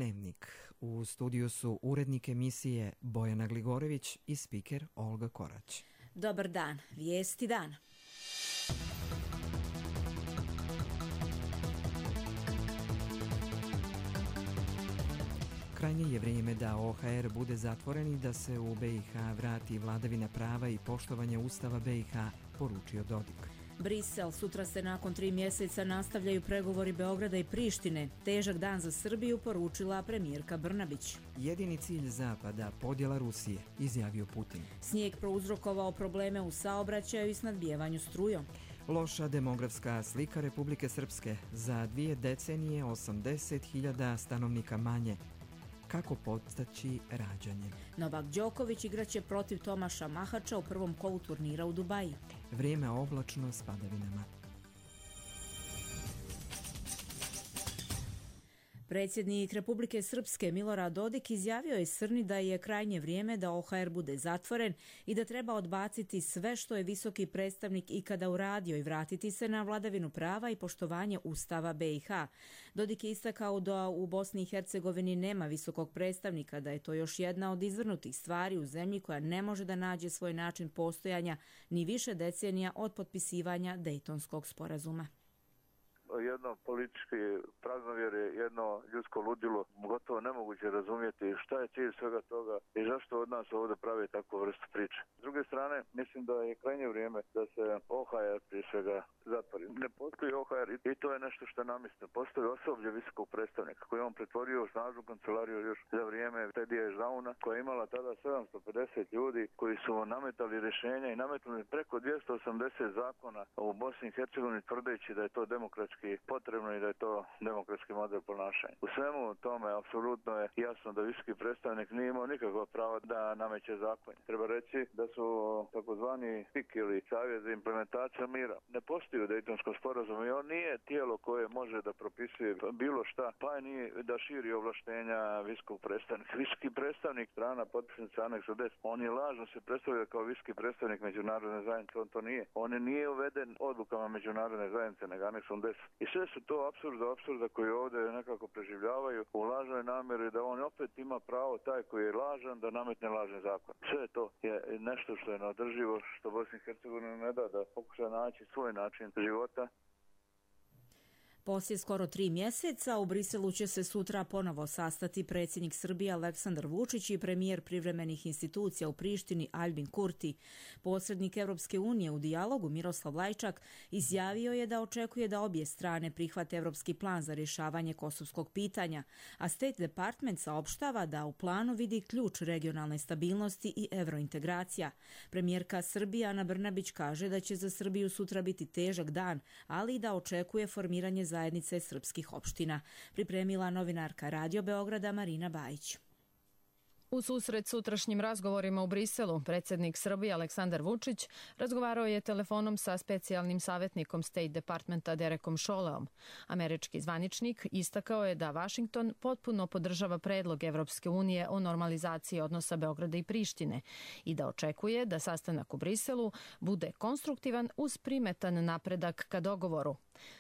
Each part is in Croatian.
Dnevnik. U studiju su urednik emisije Bojana Gligorević i spiker Olga Korać. Dobar dan, vijesti dana. Krajnje je vrijeme da OHR bude zatvoren i da se u BiH vrati vladavina prava i poštovanje Ustava BiH, poručio Dodik. Brisel, sutra se nakon 3 mjeseca nastavljaju pregovori Beograda i Prištine. Težak dan za Srbiju, poručila premijerka Brnabić. Jedini cilj Zapada, podjela Rusije, izjavio Putin. Snijeg prouzrokovao probleme u saobraćaju i snadbijevanju strujom. Loša demografska slika Republike Srpske. Za 2 decenije 80.000 stanovnika manje. Kako podstaći rađanje? Novak Đoković igraće protiv Tomaša Mahača u prvom kolu turnira u Dubaji. Vrijeme oblačno s padavinama. Predsjednik Republike Srpske Milorad Dodik izjavio je Srni da je krajnje vrijeme da OHR bude zatvoren i da treba odbaciti sve što je visoki predstavnik ikada uradio i vratiti se na vladavinu prava i poštovanje Ustava BiH. Dodik je istakao da u Bosni i Hercegovini nema visokog predstavnika, da je to još jedna od izvrnutih stvari u zemlji koja ne može da nađe svoj način postojanja ni više decenija od potpisivanja Dejtonskog sporazuma. Jedno politički praznovjerje, jedno ljudsko ludilo, gotovo nemoguće razumjeti šta je cilj svega toga i zašto od nas ovdje pravi takvu vrstu priče. S druge strane, mislim da je krajnje vrijeme da se OHR prije svega zatvori. Ne postoji OHR i to je nešto što je namjestno. Postoji osoblje visokog predstavnika koji je on pretvorio u snažnu kancelariju još za vrijeme Tedija Žauna, koja je imala tada 750 ljudi koji su nametali rješenja i nametnuli preko 280 zakona u Bosni i Hercegovini tvrdeći da je to demokratski potrebno i da je to demokratski model ponašanja. U svemu tome apsolutno je jasno da visoki predstavnik nije imao nikakva prava da nameće zakon. Treba reći da su takozvani PIK ili Savjet za implementaciju mira ne postoji u Dejtonskom sporazumu i on nije tijelo koje može da propisuje bilo šta, pa nije da širi ovlaštenja visokog predstavnika. Visoki predstavnik strana potpisnica aneksa 10, on je lažno se predstavlja kao visoki predstavnik međunarodne zajednice, on to nije. On nije uveden odlukama međunarodne zajednice, nego aneksom 10. I sve su to apsurda koji ovdje nekako preživljavaju u lažnoj namjeri da on opet ima pravo, taj koji je lažan, da nametne lažni zakon. Sve to je nešto što je neodrživo, što Bosni i Hercegovini ne da pokuša naći svoj način života. Poslije skoro 3 mjeseca u Briselu će se sutra ponovo sastati predsjednik Srbije Aleksandar Vučić i premijer privremenih institucija u Prištini Aljbin Kurti. Posrednik Evropske unije u dijalogu Miroslav Lajčak izjavio je da očekuje da obje strane prihvate evropski plan za rješavanje kosovskog pitanja, a State Department saopštava da u planu vidi ključ regionalne stabilnosti i evrointegracija. Premijerka Srbije Ana Brnabić kaže da će za Srbiju sutra biti težak dan, ali i da očekuje formiranje zajednice srpskih opština. Pripremila novinarka Radio Beograda Marina Bajić. U susret sutrašnjim razgovorima u Briselu, predsjednik Srbije Aleksandar Vučić razgovarao je telefonom sa specijalnim savjetnikom State Departmenta Derekom Šoleom. Američki zvaničnik istakao je da Washington potpuno podržava predlog Evropske unije o normalizaciji odnosa Beograda i Prištine i da očekuje da sastanak u Briselu bude konstruktivan uz primetan napredak ka dogovoru.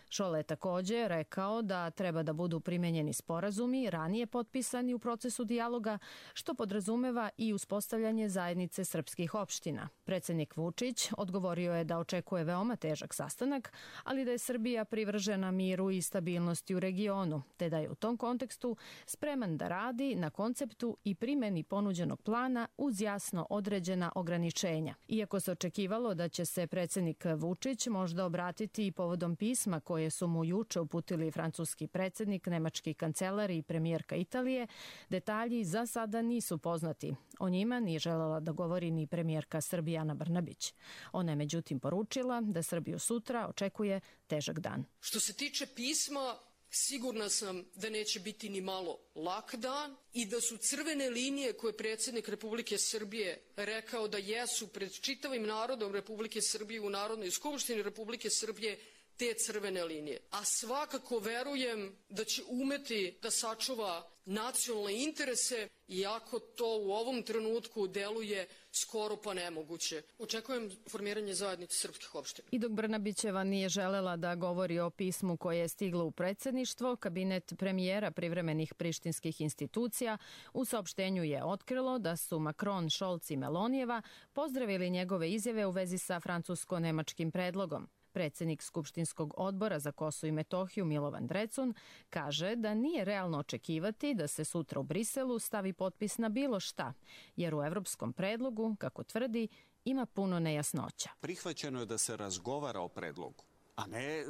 Šole je također rekao da treba da budu primenjeni sporazumi ranije potpisani u procesu dijaloga, što podrazumeva i uspostavljanje zajednice srpskih opština. Predsjednik Vučić odgovorio je da očekuje veoma težak sastanak, ali da je Srbija privržena miru i stabilnosti u regionu, te da je u tom kontekstu spreman da radi na konceptu i primjeni ponuđenog plana uz jasno određena ograničenja. Iako se očekivalo da će se predsjednik Vučić možda obratiti i povodom pisma koje su mu juče uputili francuski predsjednik, nemački kancelar i premijerka Italije, detalji za sada nisu poznati. O njima nije željela da govori ni premijerka Srbije Ana Brnabić. Ona je međutim poručila da Srbiju sutra očekuje težak dan. Što se tiče pisma, sigurna sam da neće biti ni malo lak dan i da su crvene linije koje predsjednik Republike Srbije rekao da jesu pred čitavim narodom Republike Srbije u Narodnoj skupštini Republike Srbije te crvene linije. A svakako verujem da će umeti da sačuva nacionalne interese, iako to u ovom trenutku deluje skoro pa nemoguće. Očekujem formiranje zajednice srpskih opština. I dok Brnabićeva nije želela da govori o pismu koje je stiglo u predsjedništvo, kabinet premijera privremenih prištinskih institucija u saopštenju je otkrilo da su Macron, Scholz i Melonijeva pozdravili njegove izjave u vezi sa francusko-nemačkim predlogom. Predsjednik Skupštinskog odbora za Kosovo i Metohiju Milovan Drecun kaže da nije realno očekivati da se sutra u Briselu stavi potpis na bilo šta, jer u evropskom predlogu, kako tvrdi, ima puno nejasnoća. Prihvaćeno je da se razgovara o predlogu, a ne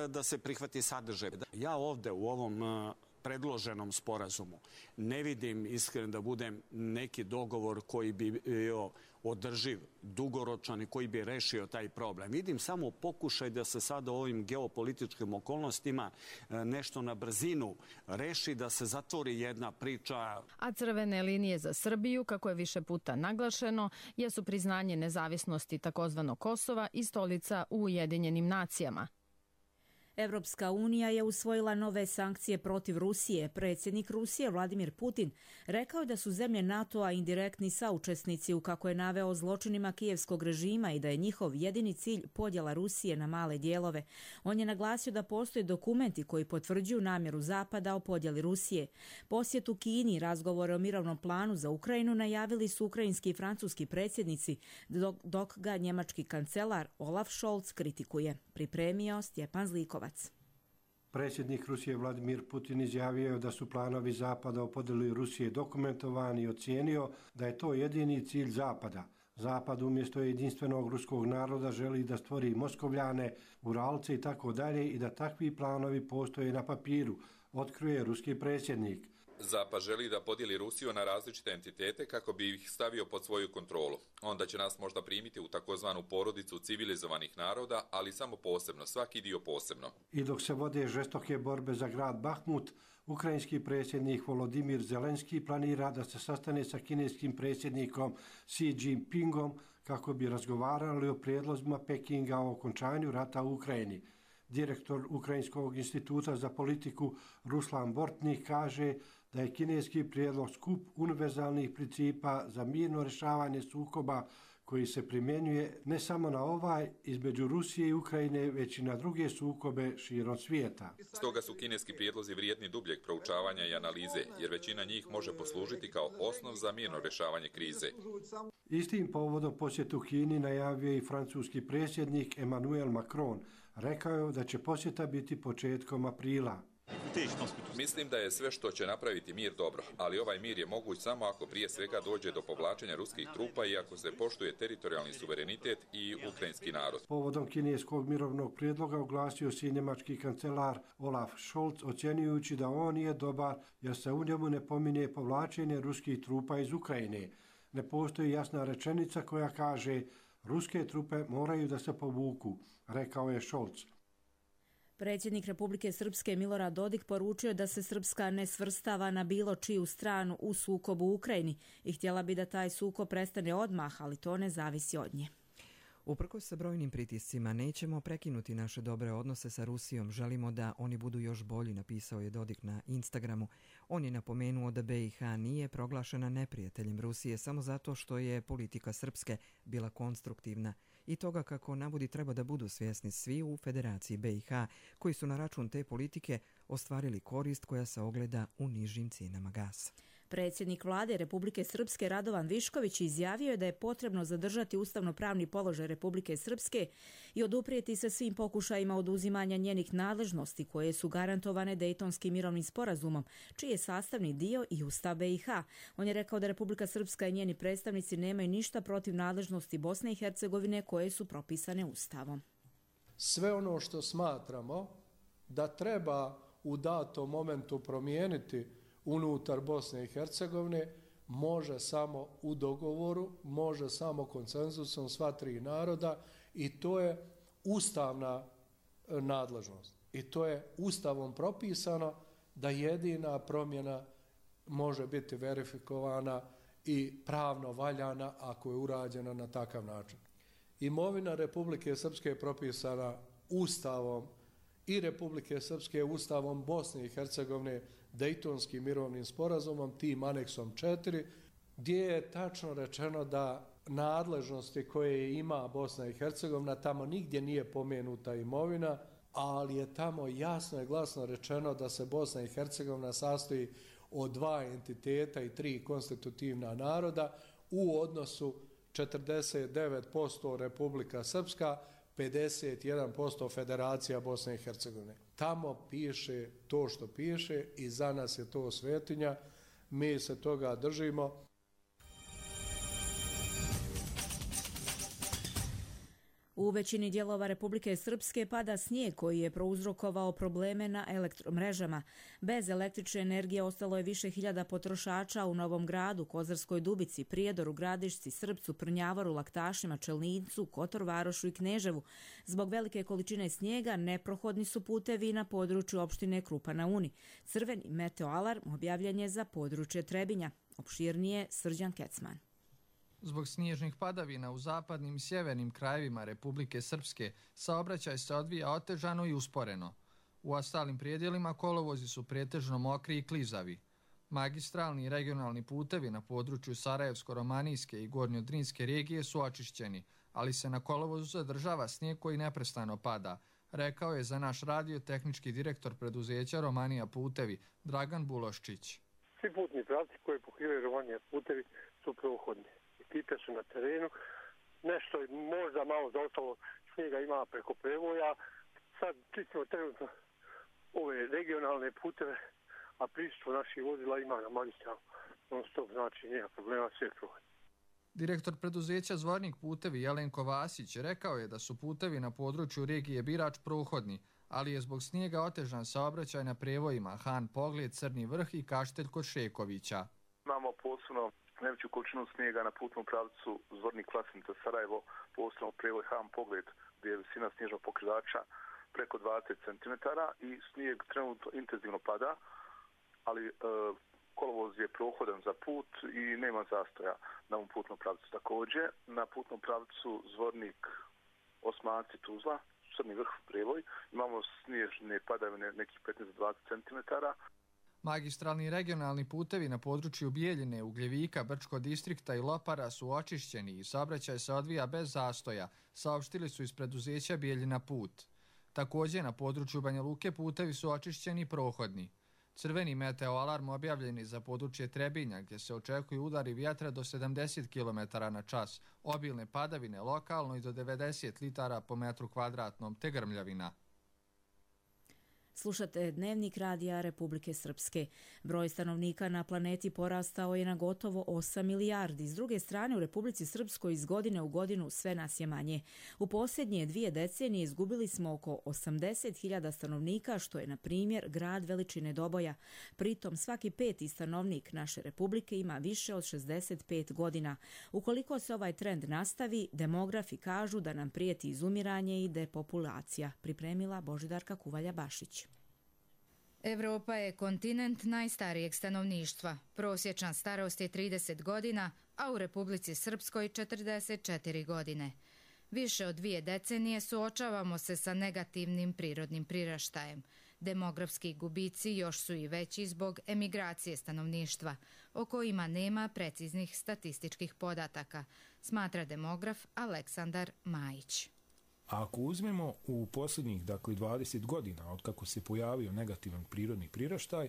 da se prihvati sadržaj. Ja ovde u ovom predloženom sporazumu ne vidim, iskren da budem, neki dogovor koji bi bio održiv, dugoročan i koji bi rešio taj problem. Vidim samo pokušaj da se sada u ovim geopolitičkim okolnostima nešto na brzinu reši, da se zatvori jedna priča. A crvene linije za Srbiju, kako je više puta naglašeno, jesu priznanje nezavisnosti takozvanog Kosova i stolica u Ujedinjenim nacijama. Evropska unija je usvojila nove sankcije protiv Rusije. Predsjednik Rusije Vladimir Putin rekao je da su zemlje NATO-a indirektni saučesnici u, kako je naveo, zločinima kijevskog režima i da je njihov jedini cilj podjela Rusije na male dijelove. On je naglasio da postoje dokumenti koji potvrđuju namjeru Zapada o podjeli Rusije. Posjet u Kini i razgovore o mirovnom planu za Ukrajinu najavili su ukrajinski i francuski predsjednici, dok ga njemački kancelar Olaf Scholz kritikuje. Pripremio Stjepan Zlikovac. Predsjednik Rusije Vladimir Putin izjavio da su planovi Zapada o podjeli Rusije dokumentovani i ocijenio da je to jedini cilj Zapada. Zapad umjesto jedinstvenog ruskog naroda želi da stvori Moskovljane, Uralce i tako dalje i da takvi planovi postoje na papiru, otkrije ruski predsjednik. Zapad želi da podijeli Rusiju na različite entitete kako bi ih stavio pod svoju kontrolu. Onda će nas možda primiti u takozvanu porodicu civilizovanih naroda, ali samo posebno, svaki dio posebno. I dok se vode žestoke borbe za grad Bahmut, ukrajinski predsjednik Volodimir Zelenski planira da se sastane sa kineskim predsjednikom Xi Jinpingom kako bi razgovarali o prijedlozima Pekinga o okončanju rata u Ukrajini. Direktor Ukrajinskog instituta za politiku Ruslan Bortnik kaže da je kineski prijedlog skup univerzalnih principa za mirno rješavanje sukoba koji se primjenjuje ne samo na ovaj između Rusije i Ukrajine, već i na druge sukobe širom svijeta. Stoga su kineski prijedlozi vrijedni dubljeg proučavanja i analize, jer većina njih može poslužiti kao osnov za mirno rješavanje krize. Istim povodom posjetu Kini najavio i francuski predsjednik Emmanuel Macron. Rekao je da će posjeta biti početkom aprila. Mislim da je sve što će napraviti mir dobro, ali ovaj mir je moguć samo ako prije svega dođe do povlačenja ruskih trupa i ako se poštuje teritorijalni suverenitet i ukrajinski narod. Povodom kineskog mirovnog prijedloga oglasio se i njemački kancelar Olaf Scholz, ocjenjujući da on nije dobar jer se u njemu ne pominje povlačenje ruskih trupa iz Ukrajine. Ne postoji jasna rečenica koja kaže ruske trupe moraju da se povuku, rekao je Scholz. Predsjednik Republike Srpske Milorad Dodik poručio da se Srpska ne svrstava na bilo čiju stranu u sukobu u Ukrajini i htjela bi da taj sukob prestane odmah, ali to ne zavisi od nje. Uprkos sa brojnim pritiscima nećemo prekinuti naše dobre odnose sa Rusijom. Želimo da oni budu još bolji, napisao je Dodik na Instagramu. On je napomenuo da BiH nije proglašena neprijateljem Rusije samo zato što je politika Srpske bila konstruktivna i toga kako navodi treba da budu svjesni svi u Federaciji BiH koji su na račun te politike ostvarili korist koja se ogleda u nižim cijenama gasa. Predsjednik vlade Republike Srpske Radovan Višković izjavio je da je potrebno zadržati ustavno-pravni položaj Republike Srpske i oduprijeti se svim pokušajima oduzimanja njenih nadležnosti koje su garantovane Dejtonskim mirovnim sporazumom, čiji je sastavni dio i Ustav BiH. On je rekao da Republika Srpska i njeni predstavnici nemaju ništa protiv nadležnosti Bosne i Hercegovine koje su propisane Ustavom. Sve ono što smatramo da treba u datom momentu promijeniti unutar Bosne i Hercegovine može samo u dogovoru, može samo konsenzusom sva tri naroda i to je ustavna nadležnost. I to je ustavom propisano da jedina promjena može biti verifikovana i pravno valjana ako je urađena na takav način. Imovina Republike Srpske je propisana ustavom i Republike Srpske Ustavom Bosne i Hercegovine, Dejtonskim mirovnim sporazumom, tim aneksom 4, gdje je tačno rečeno da nadležnosti koje ima Bosna i Hercegovina, tamo nigdje nije pomenuta imovina, ali je tamo jasno i glasno rečeno da se Bosna i Hercegovina sastoji od 2 entiteta i 3 konstitutivna naroda u odnosu 49% Republika Srpska, 51% Federacija Bosne i Hercegovine. Tamo piše to što piše i za nas je to svetinja. Mi se toga držimo. U većini dijelova Republike Srpske pada snijeg koji je prouzrokovao probleme na elektromrežama. Bez električne energije ostalo je više hiljada potrošača u Novom Gradu, Kozarskoj Dubici, Prijedoru, Gradišci, Srpcu, Prnjavoru, Laktašima, Čelnicu, Kotor Varošu i Kneževu. Zbog velike količine snijega neprohodni su putevi na području opštine Krupa na Uni. Crveni meteoalarm objavljen je za područje Trebinja. Opširnije Srđan Kecman. Zbog snježnih padavina u zapadnim i sjevernim krajevima Republike Srpske saobraćaj se odvija otežano i usporeno. U ostalim prijedjelima kolovozi su pretežno mokri i klizavi. Magistralni i regionalni putevi na području Sarajevsko-Romanijske i Gornjodrinske regije su očišćeni, ali se na kolovozu zadržava snijeg koji neprestano pada, rekao je za naš radio tehnički direktor preduzeća Romanija putevi Dragan Buloščić. Svi putni pravci koji pokrivaju Romanija putevi su prohodni. Ekipe su na terenu, nešto možda malo zaostalo snijega ima preko prevoja, sad čistimo trenutno ove regionalne puteve, a prisustvo naših vozila ima na magistralu non stop, znači nema problema, sve prohodni. Direktor preduzeća Zvornik putevi Jelenko Vasić rekao je da su putevi na području regije Birač prohodni, ali je zbog snijega otežan saobraćaj na prevojima Han Pogled, Crni Vrh i Kaštelj kod Šekovića. Imamo posebno najveću količinu snijega na putnom pravcu Zvornik Vlasenica Sarajevo, posebno prevoj Han Pogled, gdje je visina snježnog pokrivača preko 20 cm i snijeg trenutno intenzivno pada, ali kolovoz je prohodan za put i nema zastoja na ovom putnom pravcu. Također, na putnom pravcu Zvornik Osmanci Tuzla, Crni Vrh prevoj, imamo snježne padavine nekih 15-20 cm. Magistralni regionalni putevi na području Bijeljine, Ugljevika, Brčkog distrikta i Lopara su očišćeni i saobraćaj se odvija bez zastoja, saopštili su iz preduzeća Bijeljina put. Također na području Banja Luke putevi su očišćeni i prohodni. Crveni meteoalarm objavljen je za područje Trebinja, gdje se očekuju udari vjetra do 70 km/h, obilne padavine lokalno i do 90 litara po metru kvadratnom te grmljavina. Slušate Dnevnik radija Republike Srpske. Broj stanovnika na planeti porastao je na gotovo 8 milijardi. S druge strane, u Republici Srpskoj iz godine u godinu sve nas je manje. U posljednje 2 decenije izgubili smo oko 80.000 stanovnika, što je, na primjer, grad veličine Doboja. Pritom, svaki 5. stanovnik naše republike ima više od 65 godina. Ukoliko se ovaj trend nastavi, demografi kažu da nam prijeti izumiranje i depopulacija. Pripremila Božidarka Kuvalja-Bašić. Evropa je kontinent najstarijeg stanovništva. Prosječna starost je 30 godina, a u Republici Srpskoj 44 godine. Više od 2 decenije suočavamo se sa negativnim prirodnim priraštajem. Demografski gubici još su i veći zbog emigracije stanovništva, o kojima nema preciznih statističkih podataka, smatra demograf Aleksandar Majić. A ako uzmemo u posljednjih 20 godina od kako se pojavio negativan prirodni priraštaj,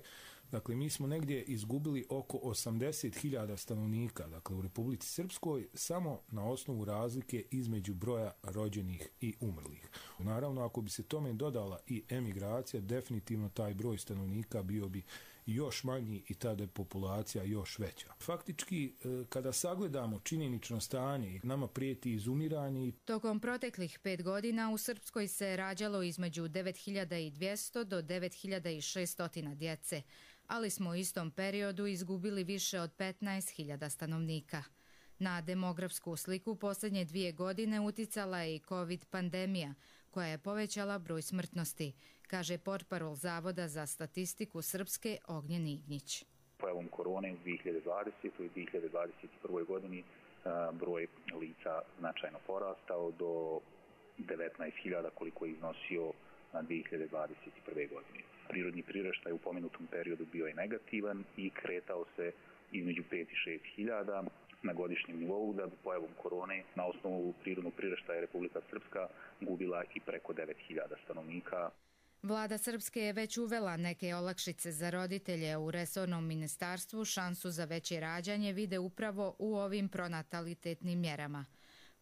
mi smo negdje izgubili oko 80.000 stanovnika u Republici Srpskoj samo na osnovu razlike između broja rođenih i umrlih. Naravno, ako bi se tome dodala i emigracija, definitivno taj broj stanovnika bio bi još manji i tada je populacija još veća. Faktički, kada sagledamo činjenično stanje, nama prijeti izumiranje. Tokom proteklih 5 godina u Srpskoj se rađalo između 9.200 do 9.600 djece, ali smo u istom periodu izgubili više od 15.000 stanovnika. Na demografsku sliku posljednje 2 godine uticala je i COVID pandemija, koja je povećala broj smrtnosti, kaže portparol Zavoda za statistiku Srpske Ognjen Ignjić. Pojavom korone u 2020. i 2021. godini broj lica značajno porastao do 19.000 koliko je iznosio na 2021. godine. Prirodni priraštaj u pomenutom periodu bio je negativan i kretao se između 5 i 6 hiljada na godišnjem nivou, da bi pojavom korone na osnovu prirodnog priraštaja Republika Srpska gubila i preko 9.000 stanovnika. Vlada Srpske je već uvela neke olakšice za roditelje. U resornom ministarstvu šansu za veće rađanje vide upravo u ovim pronatalitetnim mjerama.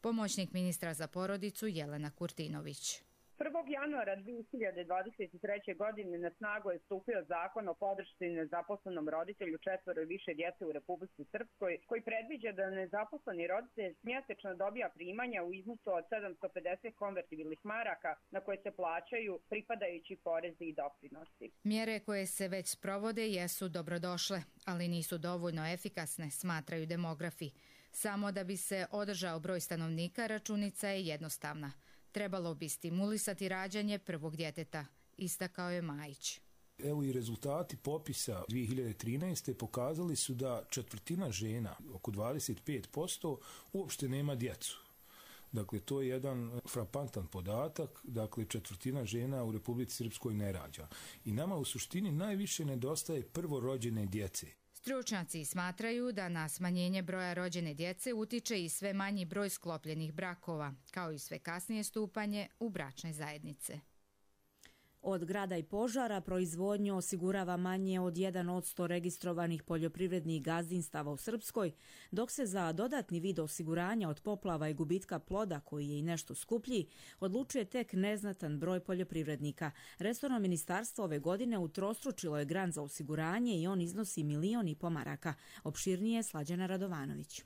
Pomoćnik ministra za porodicu Jelena Kurtinović. 1. januara 2023. godine na snagu je stupio zakon o podršci nezaposlenom roditelju 4 i više djece u Republici Srpskoj, koji predviđa da nezaposleni roditelj mjesečno dobija primanja u iznosu od 750 konvertibilnih maraka na koje se plaćaju pripadajući porezi i doprinosi. Mjere koje se već sprovode jesu dobrodošle, ali nisu dovoljno efikasne, smatraju demografi. Samo da bi se održao broj stanovnika, računica je jednostavna. Trebalo bi stimulisati rađanje prvog djeteta, istakao je Majić. Evo i rezultati popisa 2013. pokazali su da četvrtina žena, oko 25%, uopšte nema djecu. Dakle, to je jedan frapantan podatak, dakle četvrtina žena u Republici Srpskoj ne rađa. I nama u suštini najviše nedostaje prvorođene djece. Stručnjaci smatraju da na smanjenje broja rođene djece utiče i sve manji broj sklopljenih brakova, kao i sve kasnije stupanje u bračne zajednice. Od grada i požara proizvodnju osigurava manje od 1% registrovanih poljoprivrednih gazdinstava u Srpskoj, dok se za dodatni vid osiguranja od poplava i gubitka ploda, koji je i nešto skuplji, odlučuje tek neznatan broj poljoprivrednika. Resorno ministarstvo ove godine utrostručilo je grant za osiguranje i on iznosi 1,5 miliona maraka. Opširnije Slađana Radovanović.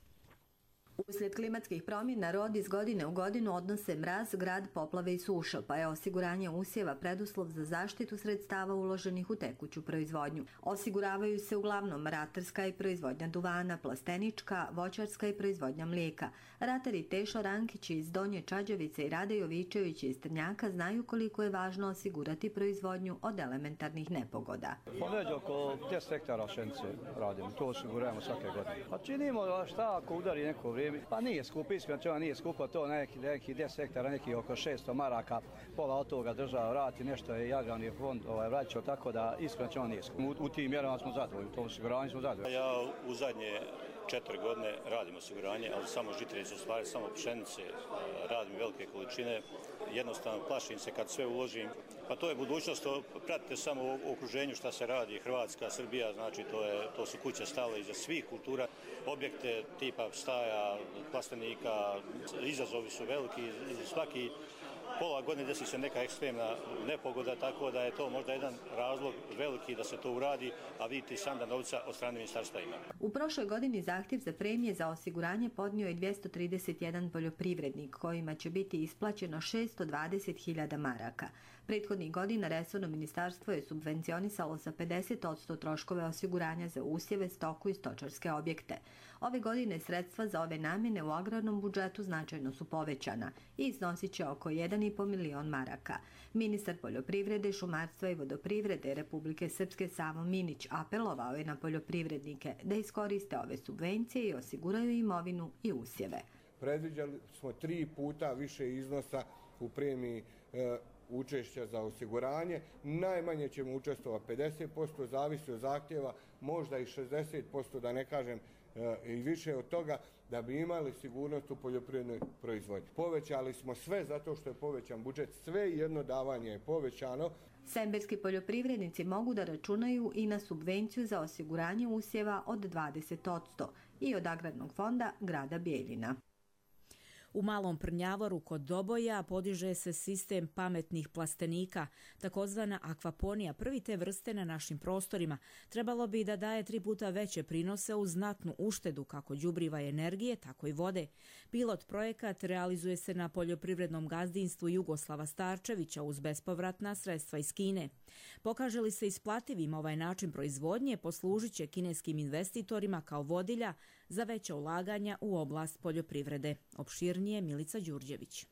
Uslijed klimatskih promjena rod iz godine u godinu odnose mraz, grad, poplave i suša, pa je osiguranje usjeva preduslov za zaštitu sredstava uloženih u tekuću proizvodnju. Osiguravaju se uglavnom ratarska i proizvodnja duvana, plastenička, voćarska i proizvodnja mlijeka. Ratari Tešo Rankić iz Donje Čađavice i Rade Jovičević iz Trnjaka znaju koliko je važno osigurati proizvodnju od elementarnih nepogoda. Već oko 10 hektara pšenice radimo, to osigurujemo svake godine. Pa činimo šta ako udari neko vrijeme. Pa nije skupo, iskreno nije skupo, to neki 10 hektara, neki oko 600 maraka, pola od toga država vrati, nešto je agrarni fond vraćao, tako da iskreno nije skupo. U tim mjerama smo zadovoljni, u tom osiguranju smo zadovoljni. Ja u zadnje 4 godine radim osiguranje, ali samo žitarice, u stvari samo pšenice, radim velike količine. Jednostavno plašim se kad sve uložim. Pa to je budućnost, pratite samo u okruženju šta se radi, Hrvatska, Srbija, znači to su kuće stale iza svih kultura, objekte tipa staja, plastenika, izazovi su veliki, svaki pola godine desi se neka ekstremna nepogoda, tako da je to možda jedan razlog veliki da se to uradi, a vidite sam da novca od strane ministarstva ima. U prošloj godini zahtjev za premije za osiguranje podnio je 231 poljoprivrednik, kojima će biti isplaćeno 620.000 maraka. Prethodnih godina resorno ministarstvo je subvencionisalo sa 50% troškove osiguranja za usjeve, stoku i stočarske objekte. Ove godine sredstva za ove namjene u agrarnom budžetu značajno su povećana i iznosit će oko 1,5 milion maraka. Ministar poljoprivrede, šumarstva i vodoprivrede Republike Srpske Savo Minić apelovao je na poljoprivrednike da iskoriste ove subvencije i osiguraju imovinu i usjeve. Predviđali smo 3 puta više iznosa u premiji učešća za osiguranje. Najmanje ćemo učestovati 50%, zavisi od zahtjeva, možda i 60%, da ne kažem i više od toga, da bi imali sigurnost u poljoprivrednoj proizvodnji. Povećali smo sve zato što je povećan budžet, sve jedno davanje je povećano. Semberski poljoprivrednici mogu da računaju i na subvenciju za osiguranje usjeva od 20% i od Agrarnog fonda grada Bijeljina. U Malom Prnjavoru kod Doboja podiže se sistem pametnih plastenika, takozvana akvaponija, prvi te vrste na našim prostorima. Trebalo bi da daje 3 puta veće prinose uz znatnu uštedu kako đubriva i energije, tako i vode. Pilot projekat realizuje se na poljoprivrednom gazdinstvu Jugoslava Starčevića uz bespovratna sredstva iz Kine. Pokaže li se isplativim ovaj način proizvodnje, poslužit će kineskim investitorima kao vodilja za veća ulaganja u oblast poljoprivrede. Opširnije Milica Đurđević.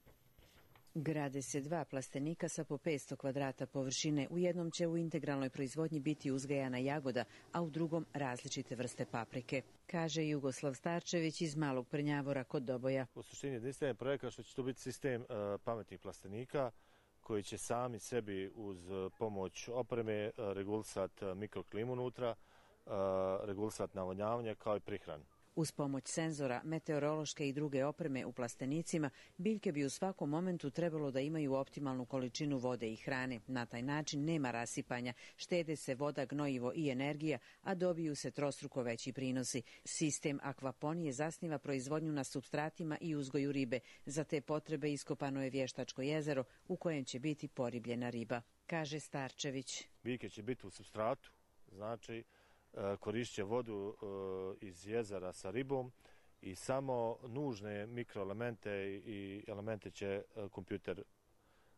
Grade se 2 plastenika sa po 500 kvadrata površine. U jednom će u integralnoj proizvodnji biti uzgajana jagoda, a u drugom različite vrste paprike, kaže Jugoslav Starčević iz Malog Prnjavora kod Doboja. U suštini jedinstven projekat što će to biti sistem pametnih plastenika koji će sami sebi uz pomoć opreme regulisati mikroklimu unutra, regulisati navodnjavanje kao i prihranu. Uz pomoć senzora, meteorološke i druge opreme u plastenicima, biljke bi u svakom momentu trebalo da imaju optimalnu količinu vode i hrane. Na taj način nema rasipanja, štede se voda, gnojivo i energija, a dobiju se trostruko veći prinosi. Sistem akvaponije zasniva proizvodnju na supstratima i uzgoju ribe. Za te potrebe iskopano je vještačko jezero u kojem će biti poribljena riba, kaže Starčević. Biljke će biti u supstratu, znači koristit će vodu iz jezera sa ribom i samo nužne mikroelemente i elemente će kompjuter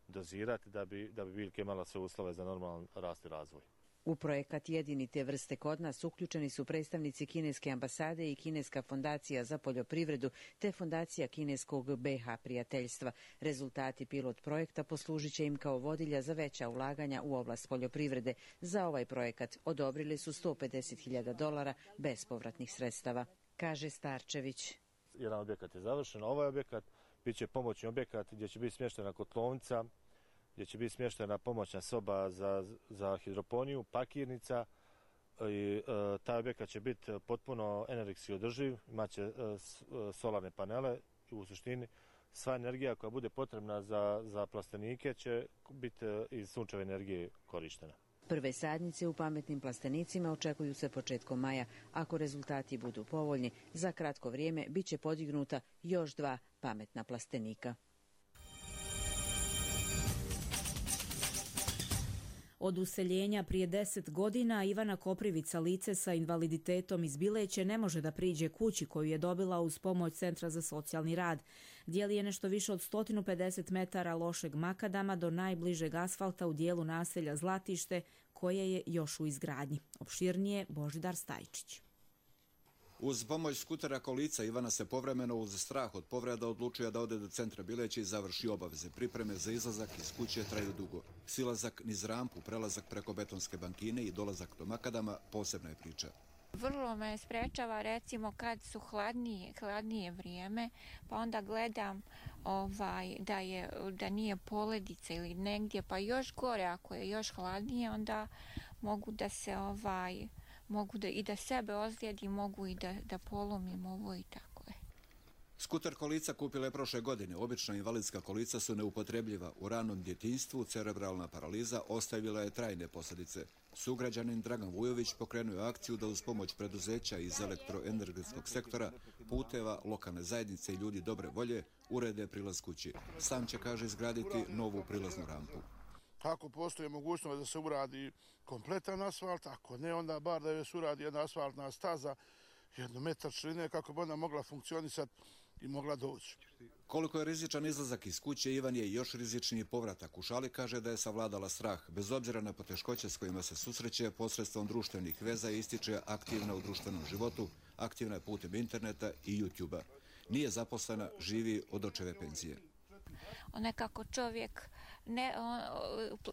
dozirati da bi biljke imala sve uslove za normalan rast i razvoj. U projekat Jedini te vrste kod nas uključeni su predstavnici kineske ambasade i Kineska fondacija za poljoprivredu te fondacija kineskog BH prijateljstva. Rezultati pilot projekta poslužit će im kao vodilja za veća ulaganja u oblast poljoprivrede. Za ovaj projekat odobrili su $150.000 bespovratnih sredstava, kaže Starčević. Jedan objekat je završen, ovaj objekat bit će pomoćni objekat gdje će biti smještena kotlovnica, gdje će biti smještena pomoćna soba za hidroponiju, pakirnica i taj objekat će biti potpuno energetski održiv, imaće solarne panele i u suštini sva energija koja bude potrebna za plastenike će biti iz sunčeve energije korištena. Prve sadnice u pametnim plastenicima očekuju se početkom maja. Ako rezultati budu povoljni, za kratko vrijeme bit će podignuta još 2 pametna plastenika. Od useljenja prije 10 godina Ivana Koprivica, lice sa invaliditetom iz Bileće, ne može da priđe kući koju je dobila uz pomoć Centra za socijalni rad. Dijeli je nešto više od 150 metara lošeg makadama do najbližeg asfalta u dijelu naselja Zlatište, koje je još u izgradnji. Opširnije Božidar Stajčić. Uz pomoć skutera kolica Ivana se povremeno uz strah od povreda odlučuje da ode do centra Bileće i završi obaveze. Pripreme za izlazak iz kuće traju dugo. Silazak niz rampu, prelazak preko betonske bankine i dolazak do makadama posebna je priča. Vrlo me sprečava recimo kad su hladnije vrijeme, pa onda gledam da nije poledica ili negdje, pa još gore ako je još hladnije, onda mogu da se i da sebe ozlijedim, mogu i da polomim ovo i tako je. Skuter kolica kupila je prošle godine. Obična invalidska kolica su neupotrebljiva. U ranom djetinjstvu cerebralna paraliza ostavila je trajne posljedice. Sugrađanin Dragan Vujović pokrenuo je akciju da uz pomoć preduzeća iz elektroenergetskog sektora, puteva, lokalne zajednice i ljudi dobre volje urede prilaz kući. Sam će, kaže, izgraditi novu prilaznu rampu. Ako postoji mogućnost da se uradi kompletan asfalt, ako ne, onda bar da se uradi jedna asfaltna staza, 1 metar širine, kako bi ona mogla funkcionisati i mogla doći. Koliko je rizičan izlazak iz kuće, Ivan je još rizičniji povratak. U šali kaže da je savladala strah. Bez obzira na poteškoće s kojima se susreće, posredstvom društvenih veza ističe aktivna u društvenom životu, aktivna je putem interneta i YouTube-a. Nije zaposlena, živi od očeve penzije. Nekako čovjek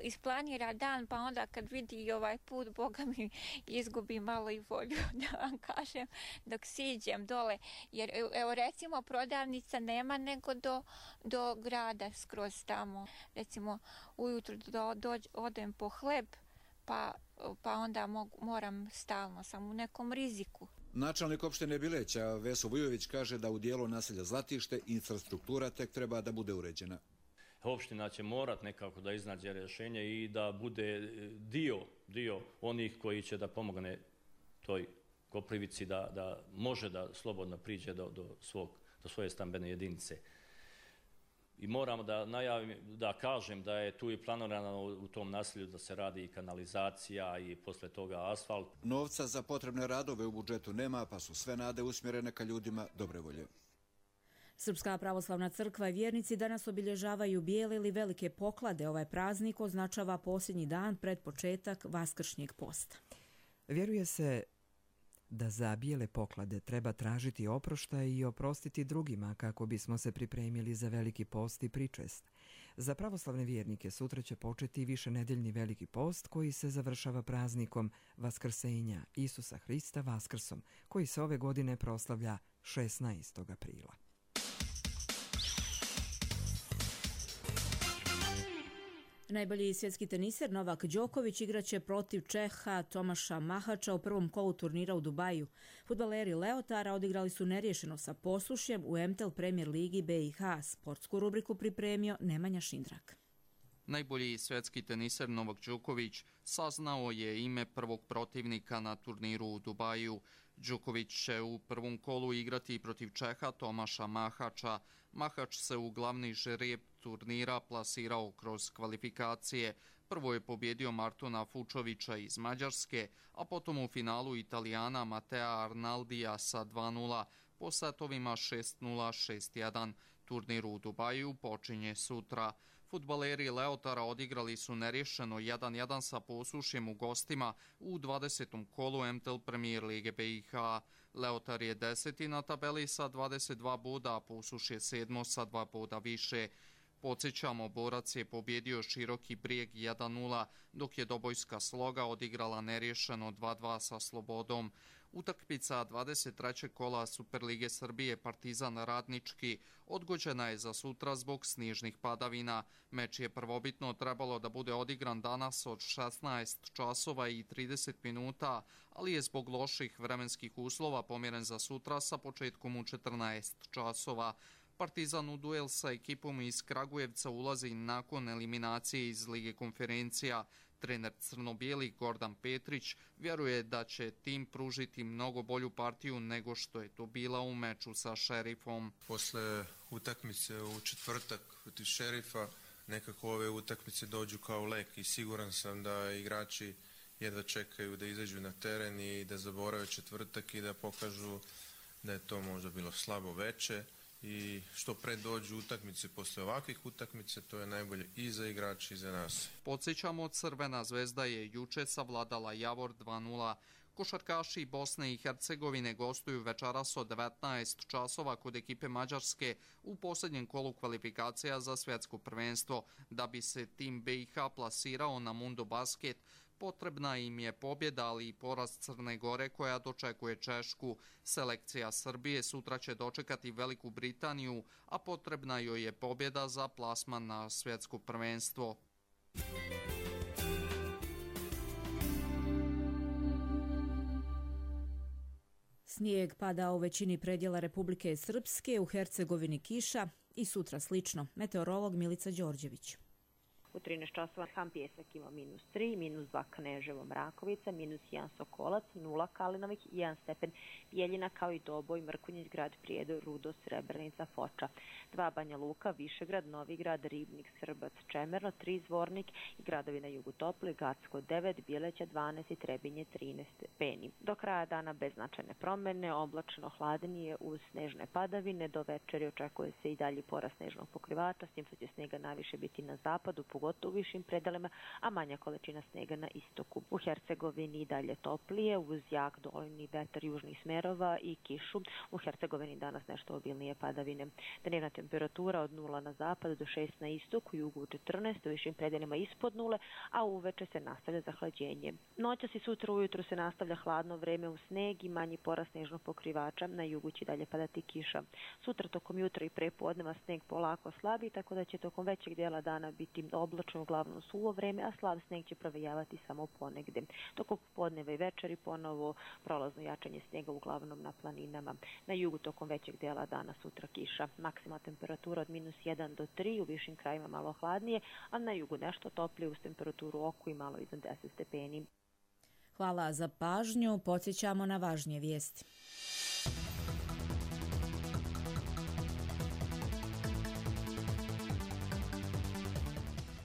isplanira dan, pa onda kad vidi ovaj put, Boga mi izgubi malo i volju, da vam kažem, dok siđem dole. Jer evo recimo prodavnica nema nego do grada skroz tamo. Recimo ujutro odem po hleb, pa onda moram stalno, sam u nekom riziku. Načelnik opštine Bileća Veso Vujović kaže da u dijelu naselja Zlatište infrastruktura tek treba da bude uređena. Opština će morati nekako da iznađe rješenje i da bude dio onih koji će da pomogne toj Koprivici da može da slobodno priđe do svoje stambene jedinice. I moramo da kažem da je tu i planirano u tom naselju da se radi i kanalizacija i posle toga asfalt. Novca za potrebne radove u budžetu nema, pa su sve nade usmjerene ka ljudima dobre volje. Srpska pravoslavna crkva i vjernici danas obilježavaju bijele ili velike poklade. Ovaj praznik označava posljednji dan pred početak Vaskršnjeg posta. Vjeruje se da za bijele poklade treba tražiti oproštaj i oprostiti drugima kako bismo se pripremili za veliki post i pričest. Za pravoslavne vjernike sutra će početi višenedeljni veliki post koji se završava praznikom Vaskrsenja Isusa Hrista Vaskrsom, koji se ove godine proslavlja 16. aprila. Najbolji svjetski teniser Novak Đoković igraće protiv Čeha Tomaša Mahača u prvom kolu turnira u Dubaju. Fudbaleri Leotara odigrali su neriješeno sa Posušjem u MTEL Premier Ligi BiH. Sportsku rubriku pripremio Nemanja Šindrak. Najbolji svjetski teniser Novak Đoković saznao je ime prvog protivnika na turniru u Dubaju. Đoković će u prvom kolu igrati protiv Čeha Tomaša Mahača. Mahač se u glavni žreb turnira plasirao kroz kvalifikacije. Prvo je pobjedio Martona Fučovića iz Mađarske, a potom u finalu Italijana Matea Arnaldija sa 2:0 po setovima 6:0, 6:1. Turnir u Dubaju počinje sutra. Fudbaleri Leotara odigrali su neriješeno 1:1 sa Posušjem u gostima u 20. kolu MTEL Premier Lige BiH. Leotar je 10. na tabeli sa 22 boda, a Posuš je 7. sa 2 boda više. Podsjećamo, Borac je pobjedio Široki Brijeg 1:0, dok je Dobojska Sloga odigrala neriješeno 2:2 sa Slobodom. Utakmica 23. kola Superlige Srbije Partizan Radnički odgođena je za sutra zbog snižnih padavina. Meč je prvobitno trebalo da bude odigran danas od 16 časova i 30 minuta, ali je zbog loših vremenskih uslova pomjeren za sutra sa početkom u 14 časova. Partizan u duel sa ekipom iz Kragujevca ulazi nakon eliminacije iz Lige konferencija. Trener crno-bijelih Gordan Petrić vjeruje da će tim pružiti mnogo bolju partiju nego što je to bila u meču sa Šerifom. Posle utakmice u četvrtak protiv Šerifa nekako ove utakmice dođu kao lek i siguran sam da igrači jedva čekaju da izađu na teren i da zaborave četvrtak i da pokažu da je to možda bilo slabo veče. I što pre dođu utakmice posle ovakvih utakmica, to je najbolje i za igrače i za nas. Podsjećamo, Crvena zvezda je juče savladala Javor 2:0. Košarkaši Bosne i Hercegovine gostuju večeras od 19 časova kod ekipe Mađarske u posljednjem kolu kvalifikacija za svjetsko prvenstvo. Da bi se tim BiH plasirao na Mundo Basket, potrebna im je pobjeda, ali i poraz Crne Gore koja dočekuje Češku. Selekcija Srbije sutra će dočekati Veliku Britaniju, a potrebna joj je pobjeda za plasman na svjetsko prvenstvo. Snijeg pada u većini predjela Republike Srpske, u Hercegovini kiša i sutra slično. Meteorolog Milica Đorđević. U 13 časova Ham Pjesak ima -3, -2 Kneževo Mrakovica, -1 Sokolac, 0 Kalinovih, 1 stepen Bijeljina, kao i Doboj, Mrkonjić, Grad Prijedor, Rudo, Srebrenica, Foča, 2 Banja Luka, Višegrad, Novigrad, Ribnik, Srbac, Čemerno, 3 Zvornik i gradovi na jugu topli, Gacko 9, Bjeleća 12 i Trebinje 13 stepeni. Do kraja dana bez značajne promjene, oblačno hladnije uz snežne padavine, do večeri očekuje se i dalji porast snežnog pokrivača, s tim što će snega najviše biti na zapadu, pogotovo u višim predelima, a manja količina snega na istoku. U Hercegovini i dalje toplije, uz jak doljni vetar južnih smerova i kišu. U Hercegovini danas nešto obilnije padavine. Dnevna temperatura od 0 na zapadu do 6 na istoku, jugu 14, u višim predelima ispod 0, a uveče se nastavlja zahlađenje. Noćas i sutra ujutro se nastavlja hladno vreme u sneg i manji porast snežnog pokrivača, na jugu će dalje padati kiša. Sutra tokom jutra i prepodneva sneg polako slabi, tako da će tokom većeg dijela dana biti oblačno, uglavnom suvo vreme, a slab sneg će provejavati samo ponegde. Tokom podneva i večeri ponovo prolazno jačanje snega uglavnom na planinama. Na jugu tokom većeg dijela dana sutra kiša. Maksimalna temperatura od -1 do 3, u višim krajima malo hladnije, a na jugu nešto toplije uz temperaturu oku i malo iznad 10 stepeni. Hvala za pažnju. Podsjećamo na važnije vijesti.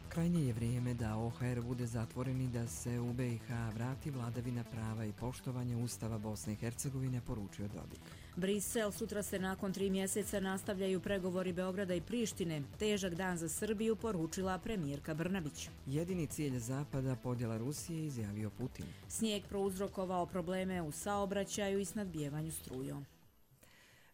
Krajnje je vrijeme da OHR bude zatvoren i da se u BiH vrati vladavina prava i poštovanje Ustava Bosne i Hercegovine, poručio Dodik. Brisel, sutra se nakon 3 mjeseca nastavljaju pregovori Beograda i Prištine. Težak dan za Srbiju, poručila premijerka Brnabić. Jedini cilj Zapada podjela Rusije, izjavio Putin. Snijeg prouzrokovao probleme u saobraćaju i snadbijevanju strujom.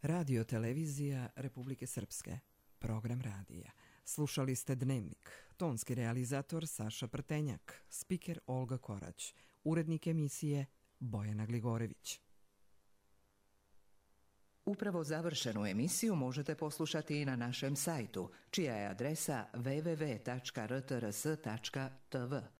Radio televizija Republike Srpske. Program radija. Slušali ste Dnevnik. Tonski realizator Saša Prtenjak. Spiker Olga Korać. Urednik emisije Bojana Gligorević. Upravo završenu emisiju možete poslušati i na našem sajtu, čija je adresa www.rtrs.tv.